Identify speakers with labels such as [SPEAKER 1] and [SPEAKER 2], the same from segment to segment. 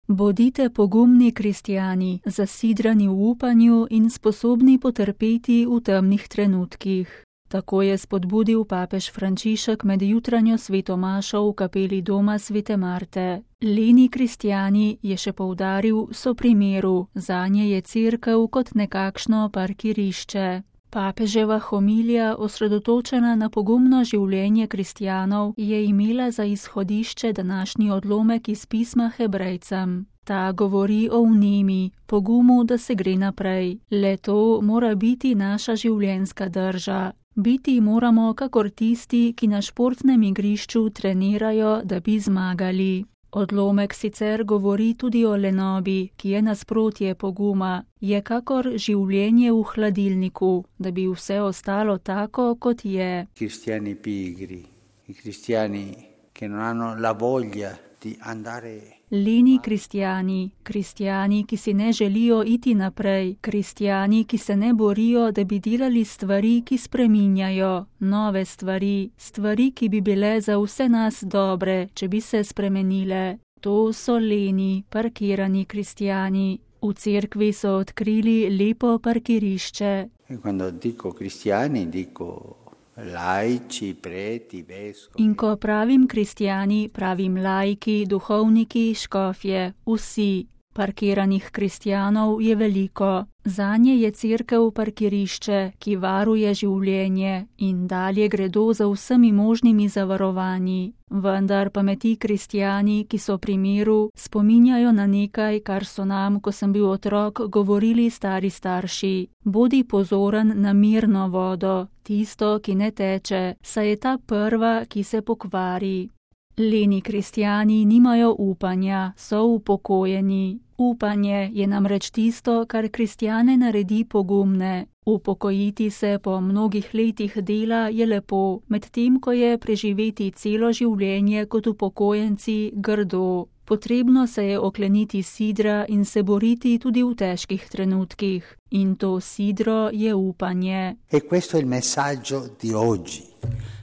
[SPEAKER 1] Bodite pogumni kristjani, zasidrani v upanju in sposobni potrpeti v temnih trenutkih. Tako je spodbudil papež Frančišek med jutranjo sveto mašo v kapeli doma svete Marte. Leni kristjani, je še poudaril, so primeru, zanje je cerkev kot nekakšno parkirišče. Papeževa homilija, osredotočena na pogumno življenje kristjanov, je imela za izhodišče današnji odlomek iz pisma Hebrejcem. Ta govori o vnemi, pogumu, da se gre naprej. Le to mora biti naša življenjska drža. Biti moramo kakor tisti, ki na športnem igrišču trenirajo, da bi zmagali. Odlomek sicer govori tudi o lenobi, ki je nasprotje poguma. Je kakor življenje v hladilniku, da bi vse ostalo tako, kot je.
[SPEAKER 2] Cristiani pigri, i cristiani che non hanno la voglia di andare.
[SPEAKER 1] Leni kristjani, kristjani, ki si ne želijo iti naprej, kristjani, ki se ne borijo, da bi delali stvari, ki spreminjajo, nove stvari, stvari, ki bi bile za vse nas dobre, če bi se spremenile. To so leni, parkirani kristjani. V cerkvi so odkrili lepo parkirišče.
[SPEAKER 2] Quando dico cristiani, dico laici, preti, vescovi.
[SPEAKER 1] In ko pravim kristjani, pravim laiki, duhovniki, škofje, vsi. Parkiranih kristjanov je veliko. Zanje je cerkev parkirišče, ki varuje življenje in dalje gredo za vsemi možnimi zavarovanji. Vendar pa me ti kristjani, ki so pri miru, spominjajo na nekaj, kar so nam, ko sem bil otrok, govorili stari starši. Bodi pozoren na mirno vodo, tisto, ki ne teče, saj je ta prva, ki se pokvari. Leni kristjani nimajo upanja, so upokojeni. Upanje je namreč tisto, kar kristjane naredi pogumne. Upokojiti se po mnogih letih dela je lepo, medtem ko je preživeti celo življenje kot upokojenci grdo. Potrebno se je okleniti sidra in se boriti tudi v težkih trenutkih. In to sidro je upanje.
[SPEAKER 2] E questo è il messaggio di oggi.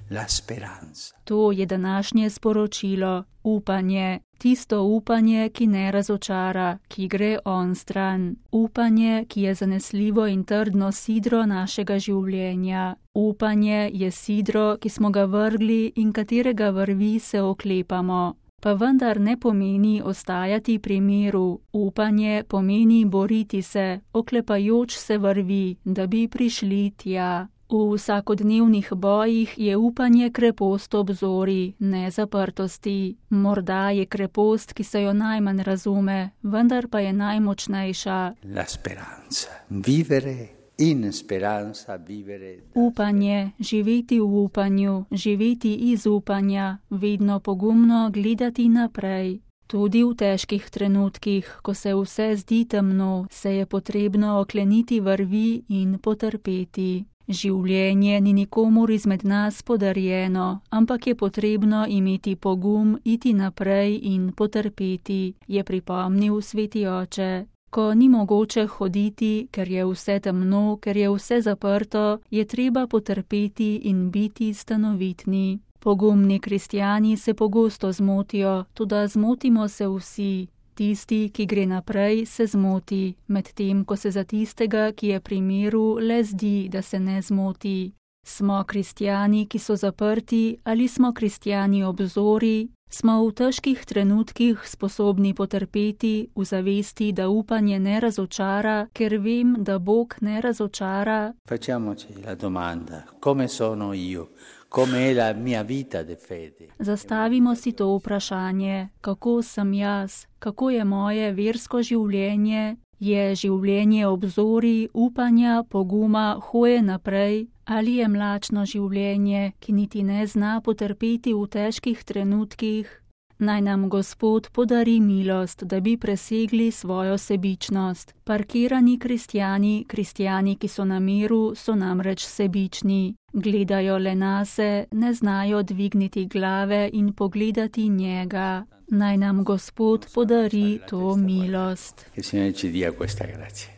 [SPEAKER 2] La speranza.
[SPEAKER 1] To je današnje sporočilo, upanje, tisto upanje, ki ne razočara, ki gre onstran, upanje, ki je zanesljivo in trdno sidro našega življenja. Upanje je sidro, ki smo ga vrgli in katerega vrvi se oklepamo. Pa vendar ne pomeni ostajati pri miru, upanje pomeni boriti se, oklepajoč se vrvi, da bi prišli tja. V vsakodnevnih bojih je upanje krepost obzori, ne zaprtosti. Morda je krepost, ki se jo najmanj razume, vendar pa je najmočnejša.
[SPEAKER 2] La speranza. Vivere in speranza, vivere.
[SPEAKER 1] Upanje, živeti v upanju, živeti iz upanja, vedno pogumno gledati naprej. Tudi v težkih trenutkih, ko se vse zdi temno, se je potrebno okleniti vrvi in potrpeti. Življenje ni nikomur izmed nas podarjeno, ampak je potrebno imeti pogum, iti naprej in potrpeti, je pripomnil sveti oče. Ko ni mogoče hoditi, ker je vse temno, ker je vse zaprto, je treba potrpeti in biti stanovitni. Pogumni kristjani se pogosto zmotijo, toda zmotimo se vsi. Tisti, ki gre naprej, se zmoti, medtem ko se za tistega, ki je pri miru, le zdi, da se ne zmoti. Smo kristjani, ki so zaprti, ali smo kristjani obzori, smo v težkih trenutkih sposobni potrpeti v zavesti, da upanje ne razočara, ker vem, da Bog ne razočara.
[SPEAKER 2] Facciamoci la domanda, come sono io? Come è la mia vita di fede?
[SPEAKER 1] Zastavimo si to vprašanje, kako sem jaz, kako je moje versko življenje, je življenje obzori, upanja, poguma, hoje naprej, ali je mlačno življenje, ki niti ne zna potrpeti v težkih trenutkih. Naj nam Gospod podari milost, da bi presegli svojo sebičnost. Parkirani kristjani, kristjani, ki so na miru, so namreč sebični. Gledajo le nase, ne znajo dvigniti glave in pogledati njega. Naj nam Gospod podari to milost.
[SPEAKER 2] Che il Signore ci dia questa grazia.